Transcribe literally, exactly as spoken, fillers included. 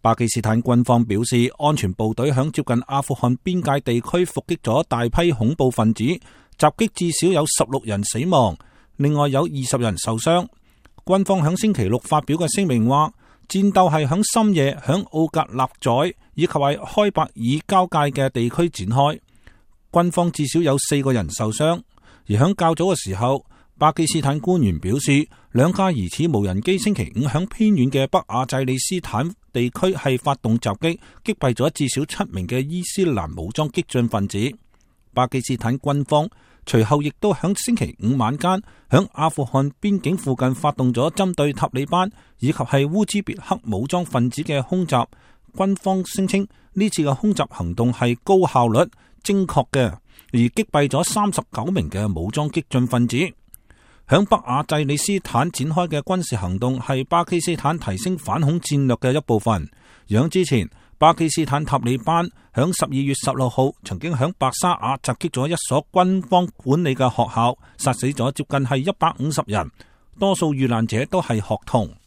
巴基斯坦軍方表示，安全部隊響接近阿富汗邊界地區伏擊咗大批恐怖分子，襲擊至少有十六人死亡，另外有二十人受傷。軍方響星期六發表嘅聲明話，戰鬥係響深夜響奧格納宰以及係開伯爾交界嘅地區展開，軍方至少有四個人受傷。而響較早嘅時候，巴基斯坦官員表示，兩架疑似無人機星期五響偏遠嘅北亞濟利斯坦地區係發動襲擊，擊斃咗至少七名嘅伊斯蘭武裝激進分子。巴基斯坦軍方隨後亦都響星期五晚間響阿富汗邊境附近發動咗針對塔利班以及係烏茲別克武裝分子嘅空襲。軍方聲稱呢次嘅空襲行動係高效率、精確嘅，而擊斃咗三十九名嘅武裝激進分子。響北亞濟利斯坦展開嘅軍事行動係巴基斯坦提升反恐戰略嘅一部分。響之前，巴基斯坦塔利班響十二月十六號曾經響白沙瓦襲擊咗一所軍方管理嘅學校，殺死咗接近係一百五十人，多數遇難者都係學童。